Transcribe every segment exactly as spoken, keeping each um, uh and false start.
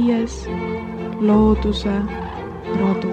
viies looduse rodu.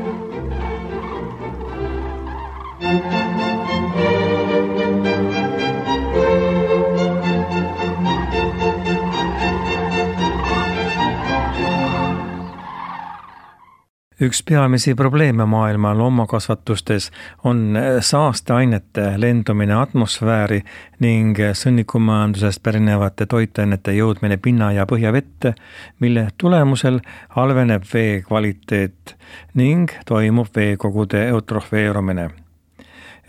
Üks peamisi probleeme maailma loomakasvatustes on saasteainete lendumine atmosfääri ning sõnnikumajandusest pärinevate toitainete jõudmine pinna- ja põhjavette, mille tulemusel halveneb vee kvaliteet ning toimub veekogude eutrofeerumine.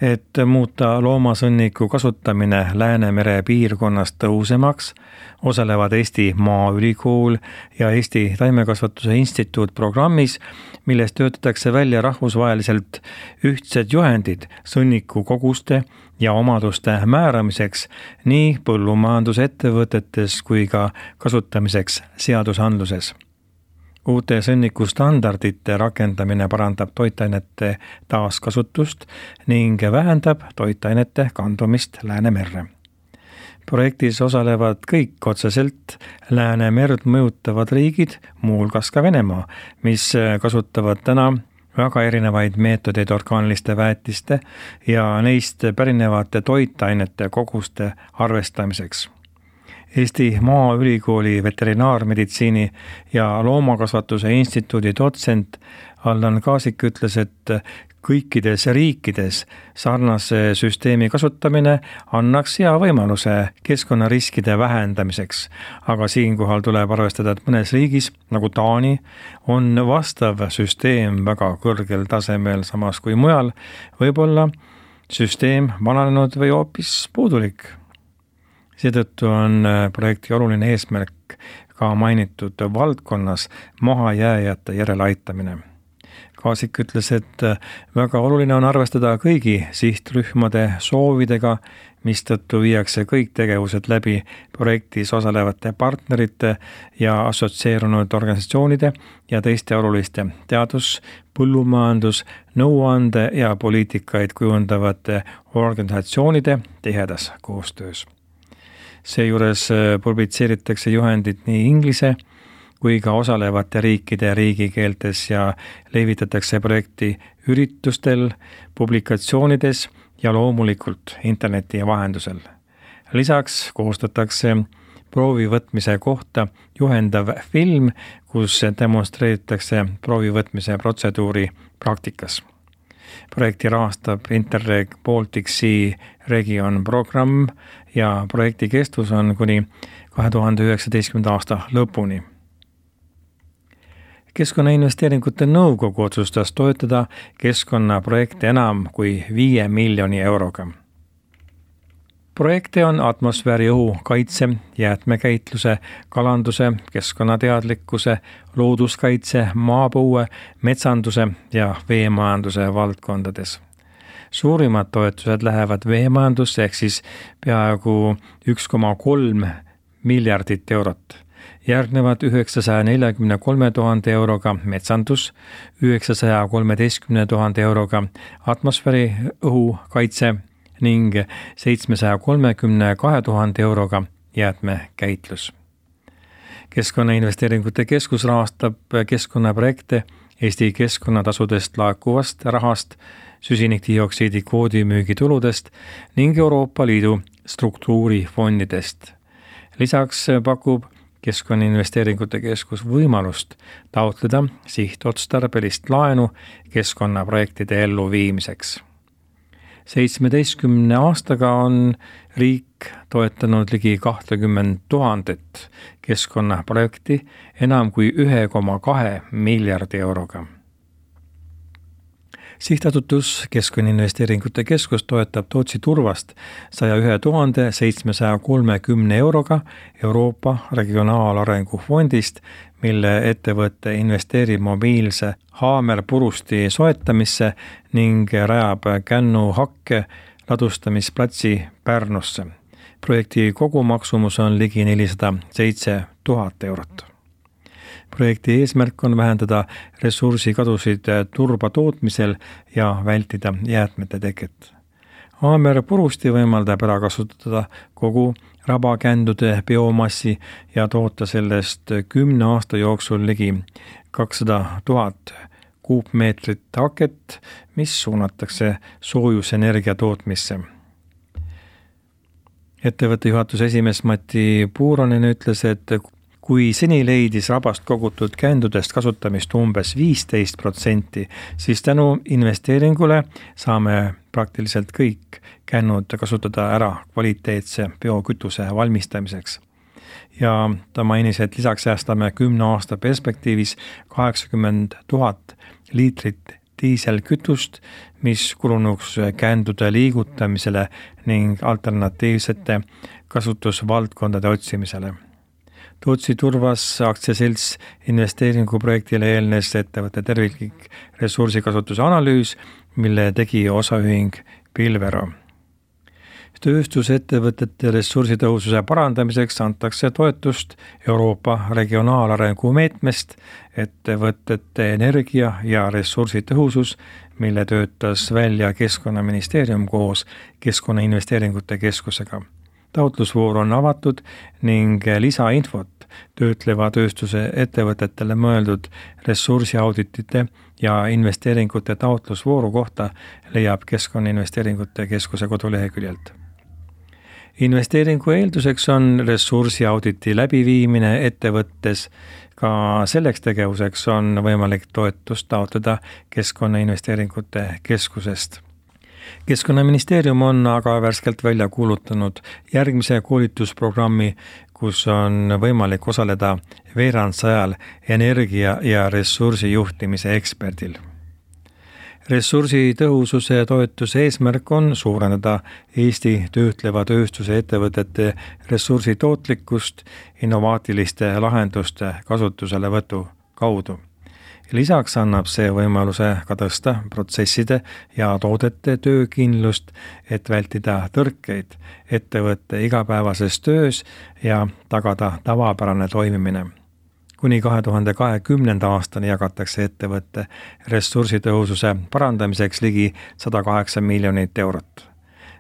Et muuta loomasõnniku kasutamine Läänemere piirkonnas tõhusamaks, osalevad Eesti Maaülikool ja Eesti Taimekasvatuse Instituut programmis, milles töötatakse välja rahvusvaheliselt ühtsed juhendid sõnniku koguste ja omaduste määramiseks nii põllumajandusettevõtetes kui ka kasutamiseks seadusandluses. Uute sõnnikustandardite rakendamine parandab toitainete taaskasutust ning vähendab toitainete kandumist Läänemerre. Projektis osalevad kõik otseselt Läänemerd mõjutavad riigid, muuhulgas ka Venemaa, mis kasutavad täna väga erinevaid meetodeid orgaaniliste väetiste ja neist pärinevate toitainete koguste arvestamiseks. Eesti Maaülikooli veterinaarmeditsiini ja loomakasvatuse instituudi dotsent Allan Kaasik ütles, et kõikides riikides sarnase süsteemi kasutamine annaks hea võimaluse keskkonnariskide vähendamiseks, aga siinkohal tuleb arvestada, et mõnes riigis, nagu Taani, on vastav süsteem väga kõrgel tasemel, samas kui mujal võib-olla süsteem vananenud või hoopis puudulik. Seetõttu on projekti oluline eesmärk ka mainitud valdkonnas mahajääjate järeleaitamine. Kaasik ütles, et väga oluline on arvestada kõigi sihtrühmade soovidega, mistõttu viiakse kõik tegevused läbi projektis osalevate partnerite ja assotsieerunud organisatsioonide ja teiste oluliste teadus-, põllumajandus-, nõuande ja poliitikaid kujundavate organisatsioonide tihedas koostöös. Seejuures publitseeritakse juhendid nii inglise kui ka osalevate riikide riigikeeltes ja levitatakse projekti üritustel, publikatsioonides ja loomulikult interneti vahendusel. Lisaks koostatakse proovivõtmise kohta juhendav film, kus demonstreeritakse proovivõtmise protseduuri praktikas. Projekti rahastab Interreg Baltic Sea Region programm ja projekti kestus on kuni kahe tuhande üheksateistkümnenda aasta lõpuni. Keskkonnainvesteeringute nõukogu otsustas toetada keskkonnaprojekte enam kui viie miljoni euroga. Projekte on atmosfääri õhu kaitse, jäätmekäitluse, kalanduse, keskkonnateadlikkuse, looduskaitse, maapõue, metsanduse ja veemajanduse valdkondades. Suurimad toetused lähevad veemajandusse ehk siis peaaegu üks koma kolm miljardit eurot. Järgnevad üheksasaja neljakümne kolme tuhande euroga metsandus, üheksasaja kolmeteistkümne tuhande euroga atmosfääri õhu kaitse ning seitsmesaja kolmekümne kahe tuhande euroga jäätmekäitlus. Keskkonnainvesteeringute keskus rahastab keskkonnaprojekte Eesti keskkonnatasudest laekuvast rahast, süsinikdioksiidi kvoodi müügituludest ning Euroopa Liidu struktuurifondidest. Lisaks pakub Keskkonnainvesteeringute keskus võimalust taotleda sihtotstarbelist laenu keskkonnaprojektide elluviimiseks. seitsmeteistkümne aastaga on riik toetanud ligi kahtekümmend tuhandet keskkonnaprojekti enam kui üks koma kaks miljardi euroga. Sihtasutus Keskkonnainvesteeringute keskus toetab Tootsi turvast saja ühe tuhande seitsmesaja kolmekümne euroga Euroopa Regionaalarengu fondist, mille ettevõte investeerib mobiilse haamerpurusti soetamisse ning rajab Kännu hakke ladustamisplatsi Pärnusse. Projekti kogumaksumus on ligi nelisada seitse tuhat eurot. Projekti eesmärk on vähendada ressursikadusid turba tootmisel ja vältida jäätmete teket. Aamer purusti võimaldab ära kasutada kogu rabakändude biomassi ja toota sellest kümne aasta jooksul ligi kakssada tuhat kuupmeetrit haket, mis suunatakse soojusenergia tootmisse. Ettevõtte juhatuse esimees Mati Puuronen ütles, et kui seni leidis rabast kogutud kändudest kasutamist umbes viisteist protsenti, siis tänu investeeringule saame praktiliselt kõik kännud kasutada ära kvaliteetse biokütuse valmistamiseks. Ja ta mainis, et lisaks säästame kümne aasta perspektiivis kaheksakümmend tuhat liitrit diiselkütust, mis kulunuks kändude liigutamisele ning alternatiivsete kasutusvaldkondade otsimisele. Tootsi Turvas aktsiaselts investeeringuprojektile eelnes ettevõtte terviklik ressursikasutuse analüüs, mille tegi osaühing Pilvero. Tööstusettevõtete ressursitõhususe parandamiseks antakse toetust Euroopa regionaalarengu meetmest ettevõtete energia ja ressursitõhusus, mille töötas välja Keskkonnaministeerium koos Keskkonnainvesteeringute Keskusega. Taotlusvoor on avatud ning lisainfot töötleva tööstuse ettevõtetele mõeldud ressursiauditite ja investeeringute taotlusvooru kohta leiab Keskkonnainvesteeringute Keskuse koduleheküljelt. Investeeringu eelduseks on ressursiauditi läbiviimine ettevõttes. Ka selleks tegevuseks on võimalik toetust taotleda Keskkonnainvesteeringute Keskusest. Keskkonnaministeerium on aga värskelt välja kuulutanud järgmise koolitusprogrammi, kus on võimalik osaleda veerandsajal energia- ja ressursijuhtimise eksperdil. Ressursitõhususe toetuse eesmärk on suurendada Eesti töötleva tööstuse ettevõtete ressursitootlikkust innovaatiliste lahenduste kasutuselevõtu kaudu. Lisaks annab see võimaluse ka tõsta protsesside ja toodete töökindlust, et vältida tõrkeid ettevõtte igapäevases töös ja tagada tavapärane toimimine. Kuni kahe tuhande kahekümnenda aastani jagatakse ettevõtte ressursitõhususe parandamiseks ligi sada kaheksa miljonit eurot.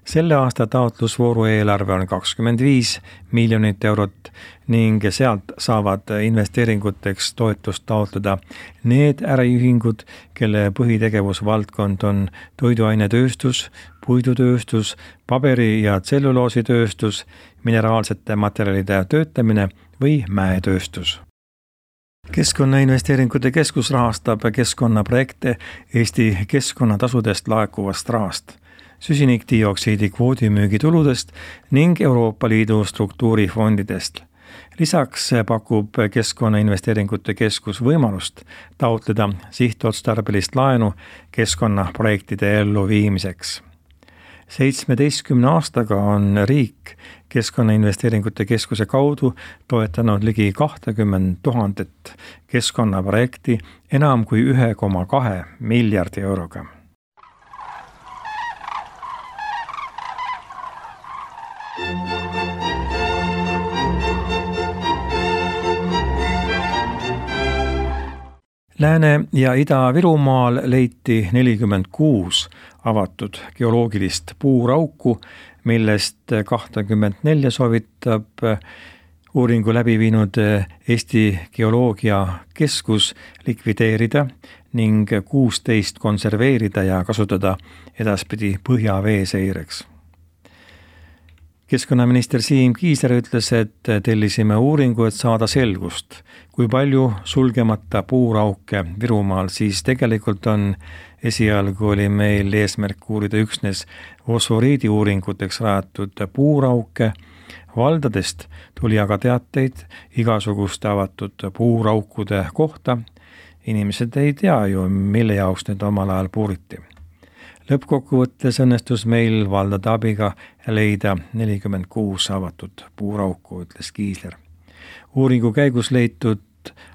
Selle aasta taotlusvooru eelarve on kakskümmend viis miljonit eurot ning sealt saavad investeeringuteks toetust taotleda need äriühingud, kelle põhitegevusvaldkond on toiduainetööstus, puidutööstus, paberi- ja tselluloositööstus, mineraalsete materjalide töötlemine või mäetööstus. Keskkonnainvesteeringute Keskus rahastab keskkonnaprojekte Eesti keskkonnatasudest laekuvast rahast, süsinikdioksiidi kvoodimüügituludest ning Euroopa Liidu struktuurifondidest. Lisaks pakub Keskkonnainvesteeringute Keskus võimalust taotleda sihtotstarbelist laenu keskkonnaprojektide elluviimiseks. seitsmeteistkümne aastaga on riik Keskkonnainvesteeringute Keskuse kaudu toetanud ligi kahtekümmend tuhandet keskkonnaprojekti enam kui ühe koma kahe miljardi euroga. Lääne- ja Ida-Virumaal leiti nelikümmend kuus avatud geoloogilist puurauku, millest kakskümmend neli soovitab uuringu läbi viinud Eesti Geoloogia Keskus likvideerida ning kuusteist konserveerida ja kasutada edaspidi põhjavee seireks. Keskkonnaminister Siim Kiisler ütles, et tellisime uuringu, et saada selgust, kui palju sulgemata puurauke Virumaal siis tegelikult on. Esialgu oli meil eesmärk uurida üksnes fosforiidi uuringuteks rajatud puurauke. Valdadest tuli aga teateid igasuguste avatud puuraukude kohta. Inimesed ei tea ju, mille jaoks need omal ajal puuriti. Lõppkokkuvõttes õnnestus meil valdade abiga leida nelikümmend kuus avatud puurauku, ütles Kiisler. Uuringu käigus leitud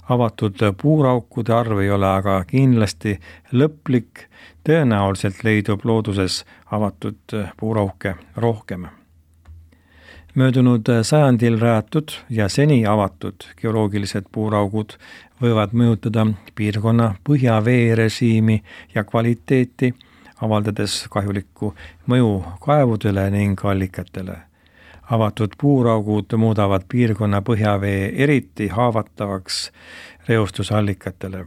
avatud puuraukude arv ei ole aga kindlasti lõplik, tõenäoliselt leidub looduses avatud puurauke rohkem. Möödunud sajandil rajatud ja seni avatud geoloogilised puuraugud võivad mõjutada piirkonna põhjaveerežiimi ja kvaliteeti, avaldades kahjulikku mõju kaevudele ning allikatele. Avatud puuraugud muudavad piirkonna põhjavee eriti haavatavaks reostusallikatele.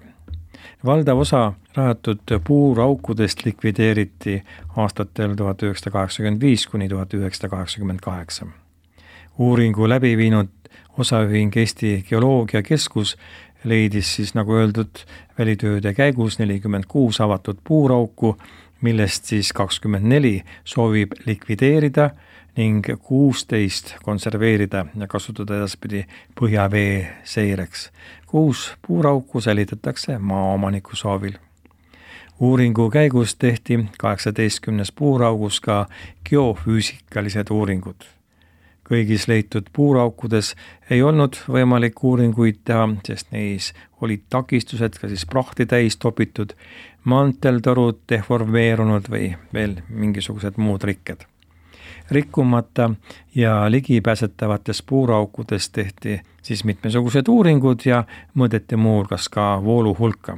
Valdav osa rajatud puuraukudest likvideeriti aastatel tuhat üheksasada kaheksakümmend viis kuni tuhat üheksasada kaheksakümmend kaheksa. Uuringu läbi viinud osaühing Eesti Geoloogiakeskus leidis siis, nagu öeldud, välitööde käigus nelikümmend kuus avatud puurauku, millest siis kakskümmend neli soovib likvideerida ning kuusteist konserveerida ja kasutada edaspidi põhjavee seireks. Kuus puurauku säilitatakse maaomaniku soovil. Uuringu käigus tehti kaheksateistkümnes puuraugus ka geofüüsikalised uuringud. Kõigis leitud puuraukudes ei olnud võimalik uuringuid teha, sest neis olid takistused, ka siis prahti täis topitud, manteltorud deformeerunud või veel mingisugused muud rikked. Rikkumata ja ligipääsetavates puuraukudes tehti siis mitmesugused uuringud ja mõõdeti muu hulgas ka voolu hulka.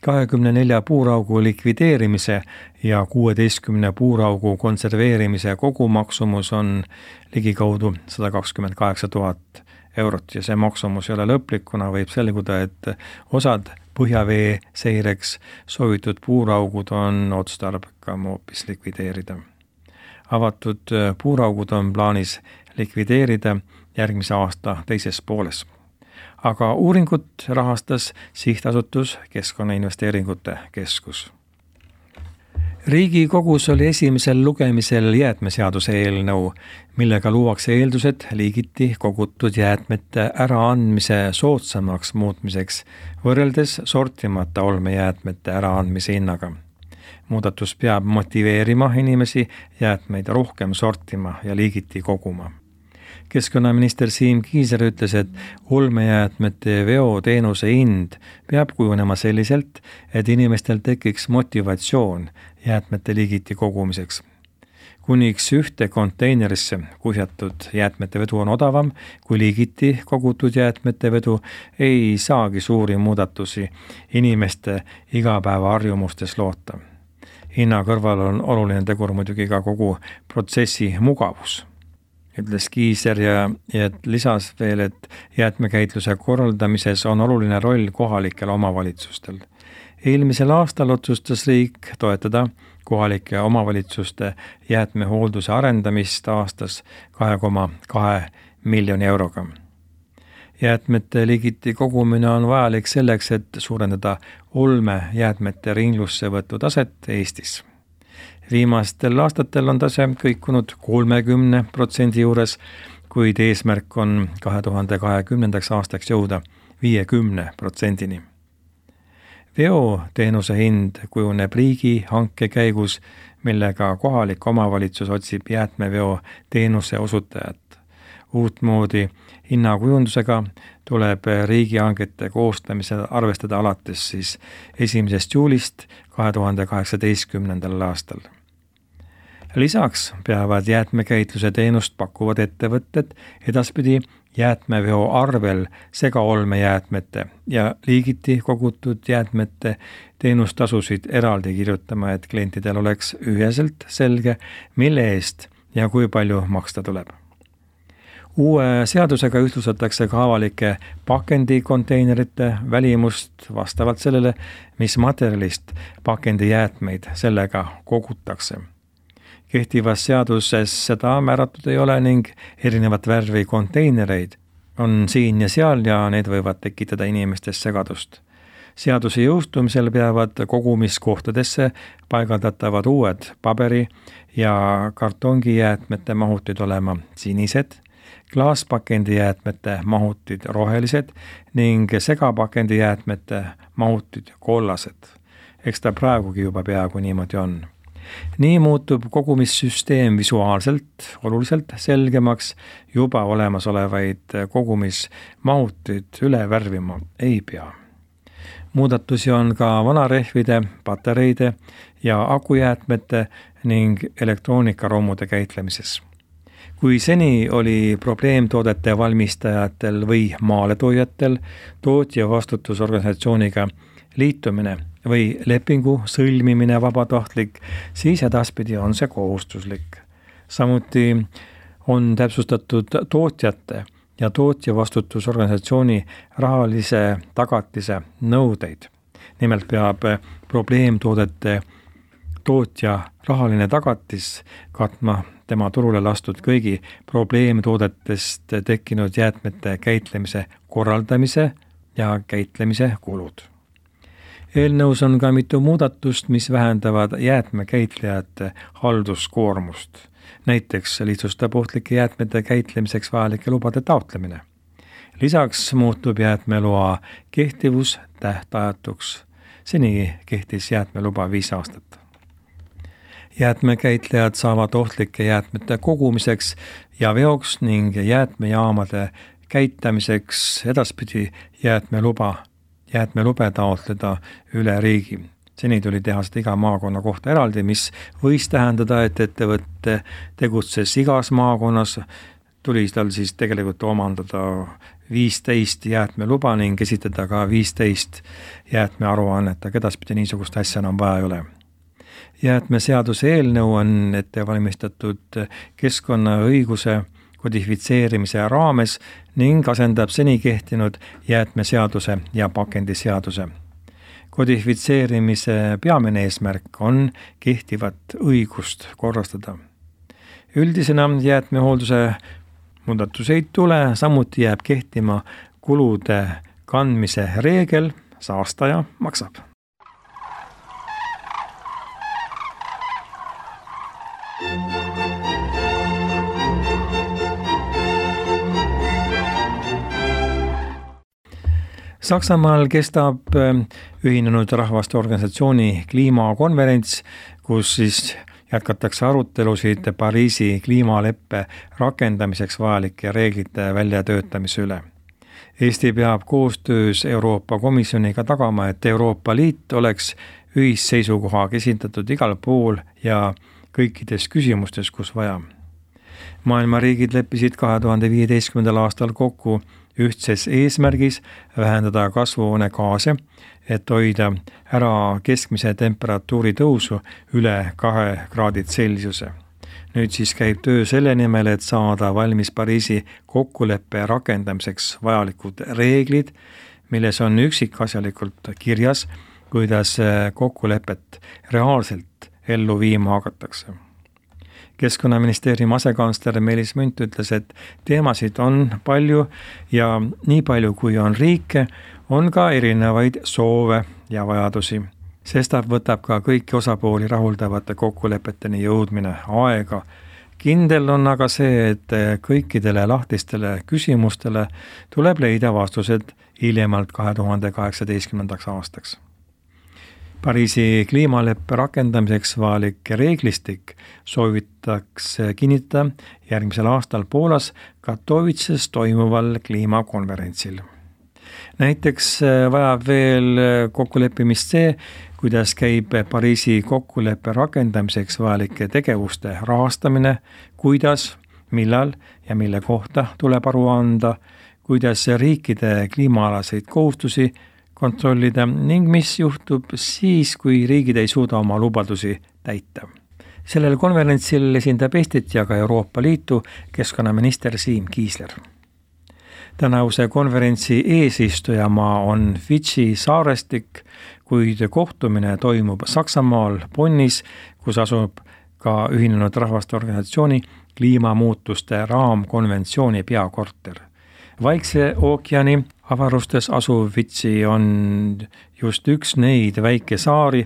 kahekümne nelja puuraugu likvideerimise ja kuueteistkümne puuraugu konserveerimise kogumaksumus on ligikaudu sada kakskümmend kaheksa tuhat eurot ja see maksumus ei ole lõplik, kuna võib selguda, et osad põhjavee seireks soovitud puuraugud on otstarbekam hoopis likvideerida. Avatud puuraugud on plaanis likvideerida järgmise aasta teises pooles. Aga uuringut rahastas sihtasutus Keskkonnainvesteeringute Keskus. Riigikogus oli esimesel lugemisel jäätmeseaduse eelnõu, millega luuakse eeldused liigiti kogutud jäätmete äraandmise soodsamaks muutmiseks võrreldes sortimata olmejäätmete äraandmise hinnaga. Muudatus peab motiveerima inimesi jäätmeid rohkem sortima ja liigiti koguma. Keskkonnaminister Siim Kiisler ütles, et olmejäätmete veoteenuse hind peab kujunema selliselt, et inimestel tekiks motivatsioon jäätmete liigiti kogumiseks. Kuniks ühte konteinerisse kuhjatud jäätmete vedu on odavam kui liigiti kogutud jäätmete vedu, ei saagi suuri muudatusi inimeste igapäevaharjumustes loota. Hinna kõrval on oluline tegur muidugi ka kogu protsessi mugavus. Ütles Kiisler ja, ja lisas veel, et jäätmekäitluse korraldamises on oluline roll kohalikel omavalitsustel. Eelmisel aastal otsustas riik toetada kohalike omavalitsuste jäätmehoolduse arendamist aastas kahe koma kahe miljoni euroga. Jäätmete liigiti kogumine on vajalik selleks, et suurendada olmejäätmete ringlusse võtu taset Eestis. Viimastel aastatel on tase kõikunud kolmekümne protsendi juures, kuid eesmärk on kahe tuhande kahekümnendaks aastaks jõuda viiekümne protsendini. Veoteenuse hind kujuneb riigi hanke käigus, millega kohalik omavalitsus otsib jäätmeveo teenuse osutajat. Uutmoodi hinnakujundusega tuleb riigihangete koostamisel arvestada alates siis esimesest juulist kahe tuhande kaheksateistkümnendal aastal. Lisaks peavad jäätmekäitluse teenust pakkuvad ettevõtted edaspidi jäätmeveo arvel segaolmejäätmete ja liigiti kogutud jäätmete teenustasusid eraldi kirjutama, et klientidel oleks üheselt selge, mille eest ja kui palju maksta tuleb. Uue seadusega ühtlustatakse ka avalike pakendikonteinerite välimust vastavalt sellele, mis materjalist pakendijäätmeid sellega kogutakse. Kehtivas seaduses seda määratud ei ole ning erinevat värvi konteinereid on siin ja seal ja need võivad tekitada inimestes segadust. Seaduse jõustumisel peavad kogumiskohtadesse paigaldatavad uued paberi- ja kartongijäätmete mahutid olema sinised, klaaspakendijäätmete mahutid rohelised ning segapakendijäätmete mahutid kollased. Eks ta praegugi juba peaaegu niimoodi on. Nii muutub kogumissüsteem visuaalselt oluliselt selgemaks, juba olemasolevaid kogumismahutid üle värvima ei pea. Muudatusi on ka vanarehvide, patareide ja akujäätmete ning elektroonikaromude käitlemises. Kui seni oli probleemtoodete valmistajatel või maaletoojatel tootja vastutusorganisatsiooniga liitumine või lepingu sõlmimine vabatahtlik, siis edaspidi on see kohustuslik. Samuti on täpsustatud tootjate ja tootjavastutusorganisatsiooni rahalise tagatise nõudeid. Nimelt peab probleemtoodete tootja rahaline tagatis katma tema turule lastud kõigi probleemtoodetest tekkinud jäätmete käitlemise korraldamise ja käitlemise kulud. Eelnõus on ka mitu muudatust, mis vähendavad jäätmekäitlejate halduskoormust. Näiteks lihtsustab ohtlike jäätmete käitlemiseks vajalike lubade taotlemine. Lisaks muutub jäätmeloa kehtivus tähtajatuks. Seni kehtis jäätmeluba viis aastat. Jäätmekäitlejad saavad ohtlike jäätmete kogumiseks ja veoks ning jäätmejaamade käitamiseks edaspidi jäätmeluba, jäätmelube taotleda üle riigi. Seni tuli teha seda iga maakonna kohta eraldi, mis võis tähendada, et ettevõtte tegutses igas maakonnas, tuli tal siis tegelikult omandada viisteist jäätmeluba ning esitada ka viisteist jäätmearuannet, aga edaspidi niisugust asja enam vaja ei ole. Jäätmeseaduse eelnõu on ette valmistatud keskkonnaõiguse kodifitseerimise raames ning asendab seni kehtinud jäätmeseaduse ja pakendiseaduse. Kodifitseerimise peamine eesmärk on kehtivat õigust korrastada. Üldisena jäätmehoolduse muudatus ei tule, samuti jääb kehtima kulude kandmise reegel, saastaja maksab. Saksamaal kestab Ühinenud Rahvaste Organisatsiooni kliimakonverents, kus siis jätkatakse arutelusid Pariisi kliimaleppe rakendamiseks vajalike reeglite väljatöötamise üle. Eesti peab koostöös Euroopa Komisjoniga tagama, et Euroopa Liit oleks ühisseisukohaga esindatud igal pool ja kõikides küsimustes, kus vaja. Maailma riigid leppisid kahe tuhande viieteistkümnendal aastal kokku ühtses eesmärgis vähendada kasvuhoonegaase, et hoida ära keskmise temperatuuri tõusu üle kahe kraadi Celsiuse. Nüüd siis käib töö selle nimel, et saada valmis Pariisi kokkuleppe rakendamiseks vajalikud reeglid, milles on üksikasjalikult kirjas, kuidas kokkulepet reaalselt ellu viima hakatakse. Keskkonnaministeeriumi asekantsler Meelis Münt ütles, et teemasid on palju ja nii palju kui on riike, on ka erinevaid soove ja vajadusi. Sestap võtab ka kõiki osapooli rahuldavate kokkulepeteni jõudmine aega. Kindel on aga see, et kõikidele lahtistele küsimustele tuleb leida vastused hiljemalt kahe tuhande kaheksateistkümnendaks aastaks. Pariisi kliimaleppe rakendamiseks vajalik reeglistik soovitakse kinnitada järgmisel aastal Poolas Katowices toimuval kliimakonverentsil. Näiteks vajab veel kokkuleppimist see, kuidas käib Pariisi kokkuleppe rakendamiseks vajalike tegevuste rahastamine, kuidas, millal ja mille kohta tuleb aru anda, kuidas riikide kliimaalaseid kohustusi kontrollida ning mis juhtub siis, kui riigid ei suuda oma lubadusi täita. Sellel konverentsil esindab Eestit ja ka Euroopa Liitu keskkonnaminister Siim Kiisler. Tänavuse konverentsi eesistujamaa on Fidži saarestik, kuid kohtumine toimub Saksamaal Bonnis, kus asub ka Ühinenud Rahvaste Organisatsiooni kliimamuutuste raamkonventsiooni peakorter. Vaikse ookeani avarustes asuv Fidži on just üks neid väikesaari,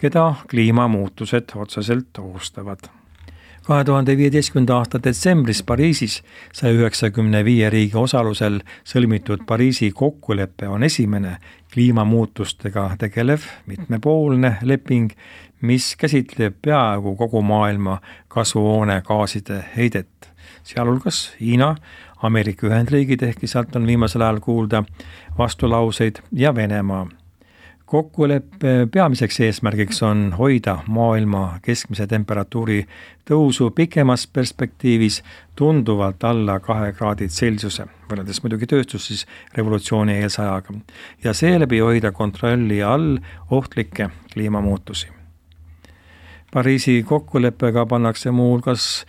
keda kliimamuutused otseselt ohustavad. kahe tuhande viieteistkümnenda aasta detsembris Pariisis sai üheksakümne viie riigi osalusel sõlmitud Pariisi kokkulepe on esimene kliimamuutustega tegelev mitmepoolne leping, mis käsitleb peaaegu kogu maailma kasvuhoonegaaside heidet, sealhulgas Hiina, Ameerika Ühendriigid, ehkki sealt on viimasel ajal kuulda vastulauseid ja Venemaa. Kokkuleppe peamiseks eesmärgiks on hoida maailma keskmise temperatuuri tõusu pikemas perspektiivis tunduvalt alla kahe kraadid Celsiuse, võrreldes muidugi tööstus siis revolutsiooni eelse ajaga, ja seeläbi hoida kontrolli all ohtlikke kliimamuutusi. Pariisi kokkuleppega pannakse muu hulgas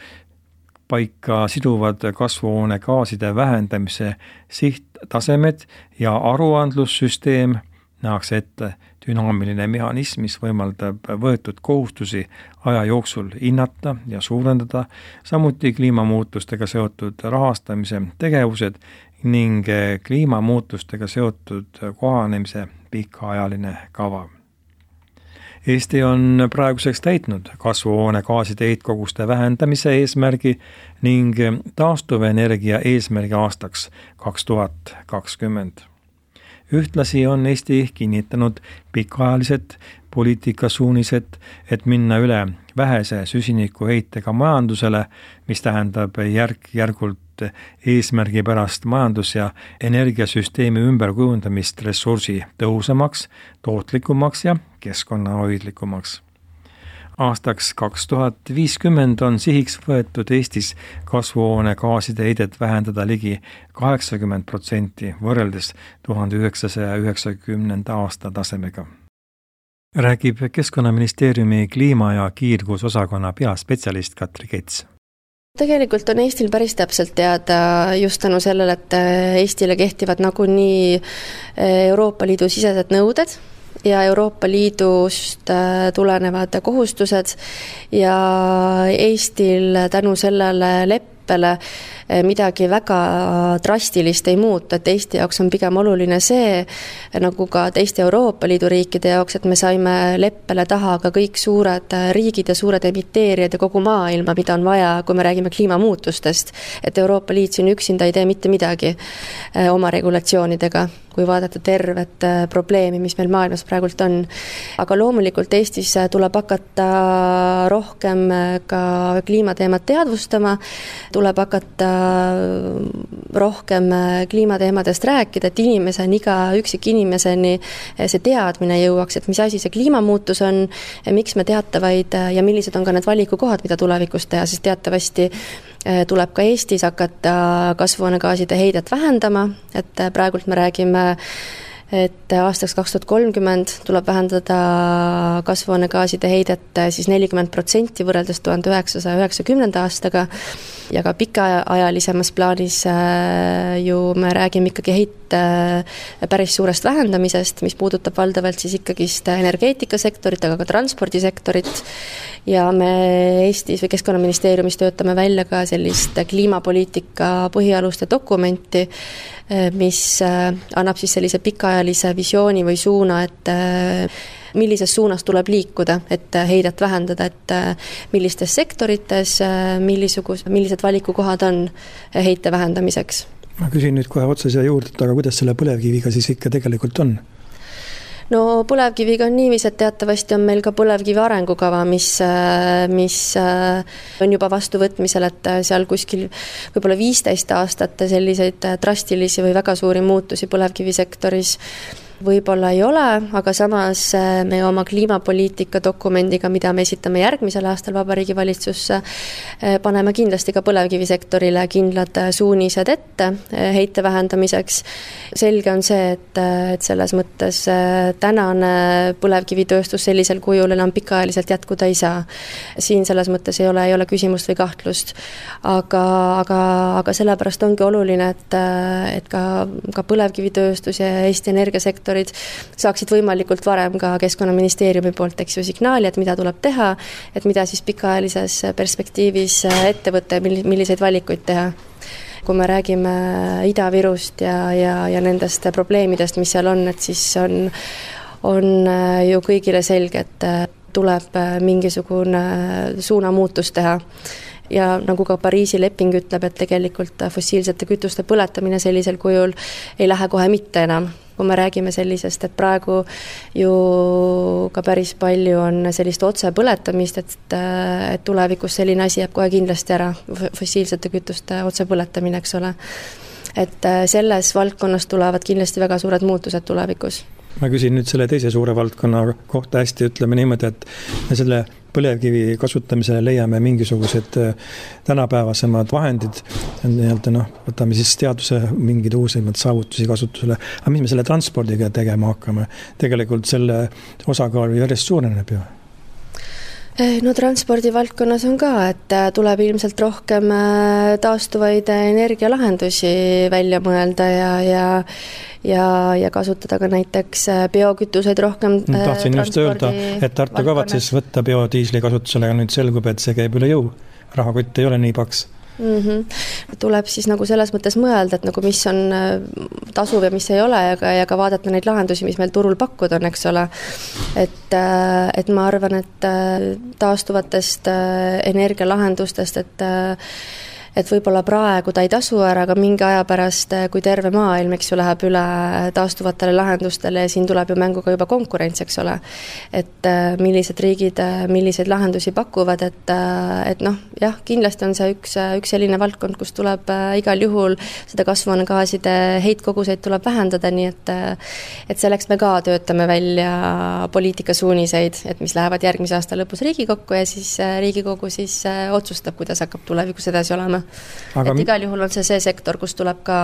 paika siduvad kasvuhoonegaaside vähendamise sihttasemed ja aruandlussüsteem, nähakse ette dünaamiline mehhanism, mis võimaldab võetud kohustusi aja jooksul hinnata ja suurendada, samuti kliimamuutustega seotud rahastamise tegevused ning kliimamuutustega seotud kohanemise pikaajaline kava. Eesti on praeguseks täitnud kasvuhoonegaaside heitkoguste vähendamise eesmärgi ning taastuvenergia eesmärgi aastaks kaks tuhat kakskümmend. Ühtlasi on Eesti kinnitanud pikaajalised poliitikasuunised, et minna üle vähese süsinikuheitega majandusele, mis tähendab järk-järgult eesmärgi pärast majandus- ja energiasüsteemi ümberkujundamist ressursi tõhusamaks, tootlikumaks ja keskkonnahoidlikumaks. Aastaks kaks tuhat viiskümmend on sihiks võetud Eestis kasvuhoonegaaside heidet vähendada ligi kaheksakümmend protsenti võrreldes tuhande üheksasaja üheksakümnenda aasta tasemega. Räägib Keskkonnaministeeriumi kliima- ja kiirgusosakonna peaspetsialist Katri Kets. Tegelikult on Eestil päris täpselt teada just tänu sellele, et Eestile kehtivad nagunii Euroopa Liidu sisesed nõuded ja Euroopa Liidust tulenevad kohustused ja Eestil tänu sellele leppele midagi väga drastilist ei muuta, et Eesti jaoks on pigem oluline see, nagu ka teiste Euroopa Liidu riikide jaoks, et me saime leppele taha ka kõik suured riigid ja suured emiteerijad ja kogu maailma, mida on vaja, kui me räägime kliimamuutustest, et Euroopa Liit siin üksinda ei tee mitte midagi oma regulatsioonidega, kui vaadata tervet probleemi, mis meil maailmas praegult on. Aga loomulikult Eestis tuleb hakata rohkem ka kliimateemat teadvustama, tuleb hakata rohkem kliimateemadest rääkida, et inimeseni, iga üksik inimeseni see teadmine jõuaks, et mis asi see kliimamuutus on, miks me teatavaid ja millised on ka need valikukohad, mida tulevikus teha, sest teatavasti tuleb ka Eestis hakata kasvuhoonegaaside heidet vähendama, et praegult me räägime, et aastaks kaks tuhat kolmkümmend tuleb vähendada kasvuhoonegaaside heidet siis nelikümmend protsenti võrreldes tuhande üheksasaja üheksakümnenda aastaga ja ka pikaajalisemas plaanis ju me räägime ikkagi heite päris suurest vähendamisest, mis puudutab valdavalt siis ikkagist energeetikasektorit, aga ka transpordisektorit ja me Eestis või Keskkonnaministeeriumis töötame välja ka sellist kliimapoliitika põhialuste dokumenti, mis annab siis sellise pikaajalise visiooni või suuna, et millises suunas tuleb liikuda, et heidet vähendada, et millistes sektorites, millisugus, millised valikukohad on heite vähendamiseks. Ma küsin nüüd kohe otsa siia juurde, aga kuidas selle põlevkiviga siis ikka tegelikult on? No põlevkiviga on niivis, et teatavasti on meil ka põlevkivi arengukava, mis, mis on juba vastuvõtmisel, et seal kuskil võib-olla viisteist aastat selliseid drastilisi või väga suuri muutusi põlevkivisektoris võib-olla ei ole, aga samas me oma kliimapoliitika dokumendiga, mida me esitame järgmisel aastal Vabariigi Valitsusse, paneme kindlasti ka põlevkivisektorile kindlad suunised ette heite vähendamiseks. Selge on see, et, et selles mõttes tänane põlevkivitööstus sellisel kujul enam pikaajaliselt jätkuda ei saa. Siin selles mõttes ei ole, ei ole küsimust või kahtlust. Aga, aga, aga sellepärast ongi oluline, et, et ka, ka põlevkivitööstus ja Eesti energiasektor saaksid võimalikult varem ka Keskkonnaministeeriumi poolt eks ju signaali, et mida tuleb teha, et mida siis pikaajalises perspektiivis ette võtta ja milliseid valikuid teha. Kui me räägime Ida-Virust ja, ja, ja nendest probleemidest, mis seal on, et siis on, on ju kõigile selge, et tuleb mingisugune suunamuutus teha. Ja nagu ka Pariisi leping ütleb, et tegelikult fossiilsete kütuste põletamine sellisel kujul ei lähe kohe mitte enam. Kui me räägime sellisest, et praegu ju ka päris palju on sellist otse põletamist, et, et tulevikus selline asi jääb kohe kindlasti ära, fossiilsete kütuste otse põletamine, eks ole. Et selles valdkonnas tulevad kindlasti väga suured muutused tulevikus. ma küsin nüüd selle teise suure valdkonna kohta hästi, ütleme niimoodi, et me selle põlevkivi kasutamisele leiame mingisugused tänapäevasemad vahendid, nii-öelda noh, võtame siis teaduse mingid uusimad saavutusi kasutusele, aga mis me selle transpordiga tegema hakkame? Tegelikult selle osakaal järjest suureneb ju. No transpordi valdkonnas on ka, et tuleb ilmselt rohkem taastuvaid energialahendusi välja mõelda ja, ja, ja, ja kasutada ka näiteks biokütuseid rohkem. Tahtsin just öelda, et Tartu kavatses võtta biodiisli kasutusele ja nüüd selgub, et see käib üle jõu. Rahakott ei ole nii paks. Mm-hmm. Tuleb siis nagu selles mõttes mõelda, et nagu mis on tasuv ja mis ei ole ja ka, ja ka vaadata neid lahendusi, mis meil turul pakkuda on, eks ole. Et, et ma arvan, et taastuvatest energialahendustest, et et võib-olla praegu ta ei tasu ära, aga mingi aja pärast, kui terve maailm, eks ju, läheb üle taastuvatele lahendustele ja siin tuleb ju mängu ka juba konkurents, eks ole. Et millised riigid, milliseid lahendusi pakuvad, et, et noh, jah, kindlasti on see üks, üks selline valdkond, kus tuleb igal juhul seda kasvuhoonegaaside heitkoguseid tuleb vähendada, nii et, et selleks me ka töötame välja poliitikasuuniseid, et mis lähevad järgmise aasta lõpus Riigikokku ja siis Riigikogu siis otsustab, kuidas hakkab tulevikus edasi olema. Aga et igal juhul on see see sektor, kus tuleb ka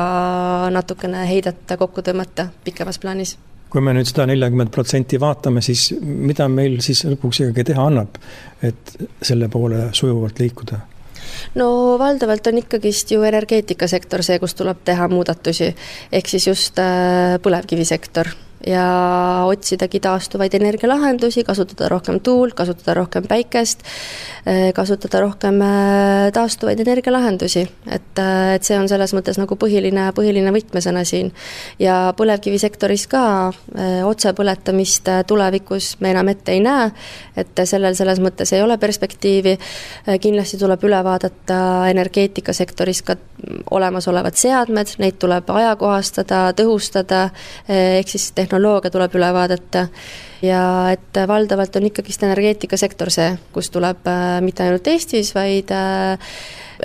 natukene heidet kokku tõmmata pikemas plaanis. Kui me nüüd seda nelikümmend protsenti vaatame, siis mida meil siis lõpuks ikkagi teha annab, et selle poole sujuvalt liikuda? No valdavalt on ikkagist ju energeetikasektor see, kus tuleb teha muudatusi, ehk siis just põlevkivisektor ja otsidagi taastuvaid energialahendusi, kasutada rohkem tuult, kasutada rohkem päikest, kasutada rohkem taastuvaid energialahendusi. Et, et see on selles mõttes nagu põhiline, põhiline võtmesõna siin. Ja põlevkivisektoris ka otsepõletamist tulevikus me enam ette ei näe, et sellel selles mõttes ei ole perspektiivi. Kindlasti tuleb üle vaadata energeetikasektoris ka olemasolevad seadmed, neid tuleb ajakohastada, tõhustada, ehk siis tehnoloogia tuleb üle vaadata ja et valdavalt on ikkagist energeetikasektor see, kus tuleb mitte ainult Eestis, vaid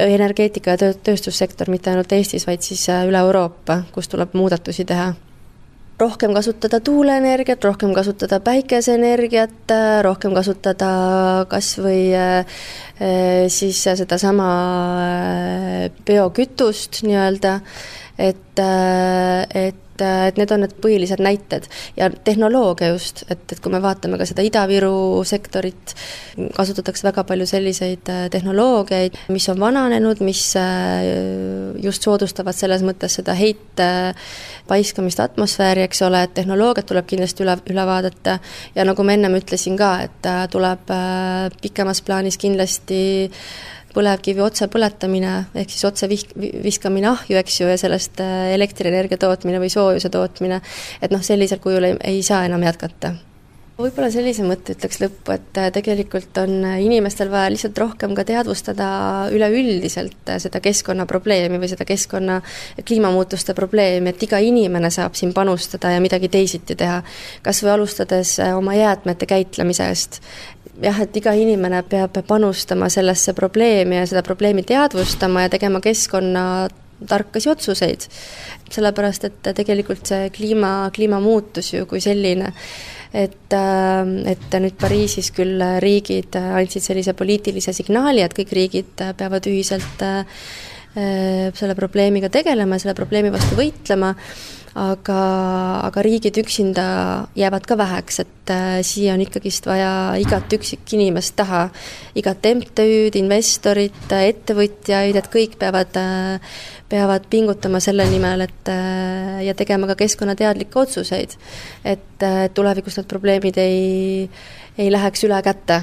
energeetika ja tööstussektor mitte ainult Eestis, vaid siis üle Euroopa, kus tuleb muudatusi teha. Rohkem kasutada tuuleenergiat, rohkem kasutada päikeseenergiat, rohkem kasutada kas või siis seda sama biokütust nii-öelda, et, et et need on need põhilised näited ja tehnoloogia just, et, et kui me vaatame ka seda Ida-Viru sektorit, kasutatakse väga palju selliseid tehnoloogiaid, mis on vananenud, mis just soodustavad selles mõttes seda heite paiskamist atmosfääri, eks ole, et tehnoloogiat tuleb kindlasti üle, üle vaadata ja nagu ma ennem ütlesin ka, et tuleb pikemas plaanis kindlasti põlevkivi otse põletamine, ehk siis otse viskamine ahju, eks ju, ja sellest elektrienergia tootmine või soojuse tootmine, et noh, sellisel kujul ei, ei saa enam jätkata. Võib-olla sellise mõtte ütleks lõppu, et tegelikult on inimestel vaja lihtsalt rohkem ka teadvustada üleüldiselt seda keskkonnaprobleemi või seda keskkonna kliimamuutuste probleemi, et iga inimene saab siin panustada ja midagi teisiti teha, kas või alustades oma jäätmete käitlemisest. Jah, et iga inimene peab panustama sellesse probleemi ja seda probleemi teadvustama ja tegema keskkonna tarkasi otsuseid. Sellepärast, et tegelikult see kliima, kliimamuutus ju kui selline, et, et nüüd Pariisis küll riigid andsid sellise poliitilise signaali, et kõik riigid peavad ühiselt selle probleemiga tegelema ja selle probleemi vastu võitlema, aga, aga riigid üksinda jäävad ka väheks, et siia on ikkagist vaja igat üksik inimest taha, igat M T Ü'd, investorit, ettevõtjaid, et kõik peavad, peavad pingutama selle nimel, et ja tegema ka keskkonnateadlikke otsuseid, et tulevikus need probleemid ei, ei läheks üle kätte.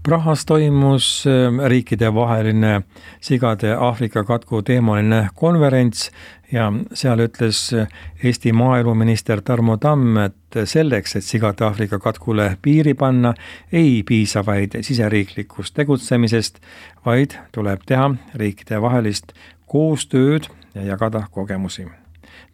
Prahas toimus riikide vaheline sigade Aafrika katku teemaline konverents ja seal ütles Eesti maaeluminister Tarmo Tamm, et selleks, et sigade Aafrika katkule piiri panna, ei piisa vaid siseriiklikust tegutsemisest, vaid tuleb teha riikide vahelist koostööd ja jagada kogemusi.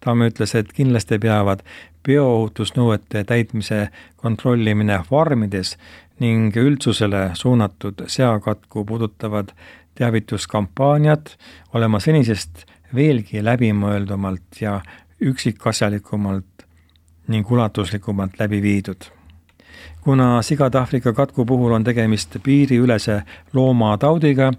Tamm ütles, et kindlasti peavad bioohutusnõuete täitmise kontrollimine farmides ning üldsusele suunatud seakatku puudutavad teavituskampaaniad olema senisest veelgi läbimõeldumalt ja üksikasjalikumalt ning ulatuslikumalt läbi viidud. Kuna sigade Aafrika katku puhul on tegemist piiriülese loomataudiga,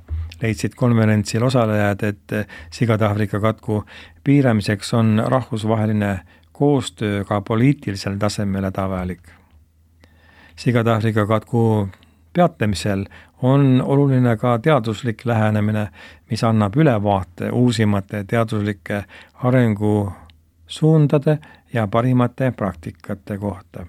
leidsid konverentsil osalejad, et sigade Aafrika katku piiramiseks on rahvusvaheline koostöö ka poliitilisel tasemel hädavajalik. Sigade Aafrika katku peatamisel on oluline ka teaduslik lähenemine, mis annab ülevaate uusimate teaduslike arengusuundade ja parimate praktikate kohta.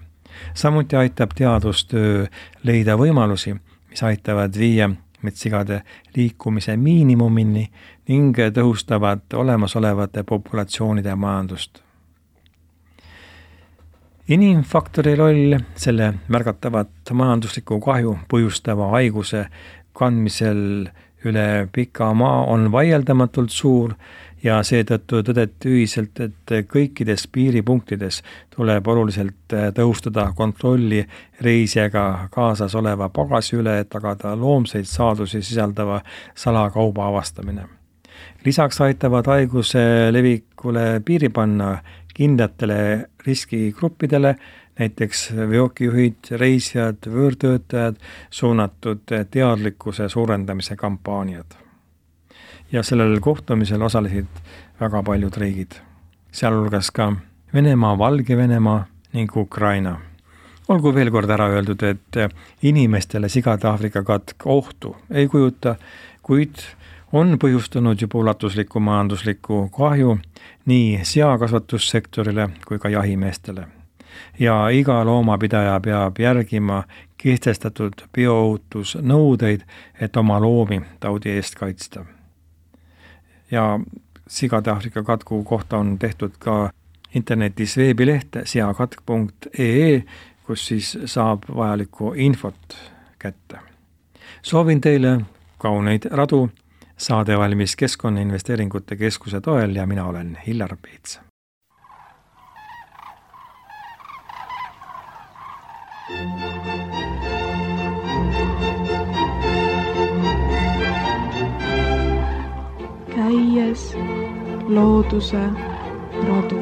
Samuti aitab teadustöö leida võimalusi, mis aitavad viia metssigade liikumise miinimumini ning tõhustavad olemasolevate populatsioonide majandust. Inimfaktori roll selle märgatavat majandusliku kahju põhjustava haiguse kandmisel üle pika maa on vaieldamatult suur ja seetõttu tõdeti ühiselt, et kõikides piiripunktides tuleb oluliselt tõhustada kontrolli reisijaga kaasas oleva pagasi üle, et tagada loomseid saadusi sisaldava salakauba avastamine. Lisaks aitavad haiguse levikule piiri panna kindlatele riskigruppidele, näiteks veokijuhid, reisijad, võõrtöötajad, suunatud teadlikkuse suurendamise kampaaniad. Ja sellel kohtumisel osalesid väga paljud riigid, sealhulgas ka Venemaa, Valge-Venemaa ning Ukraina. Olgu veel kord ära öeldud, et inimestele sigade Aafrika katk ohtu ei kujuta, kuid on põhjustanud juba ulatuslikku majanduslikku kahju nii seakasvatussektorile kui ka jahimeestele. Ja iga loomapidaja peab järgima kehtestatud bioohutusnõudeid, et oma loomi taudi eest kaitsta. Ja sigade Aafrika katku kohta on tehtud ka internetis veebileht seakatk punkt ee, kus siis saab vajalikku infot kätte. Soovin teile kauneid radu, saade valmis Keskkonnainvesteeringute Keskuse toel ja mina olen Hillar Peets. Käies looduse radu.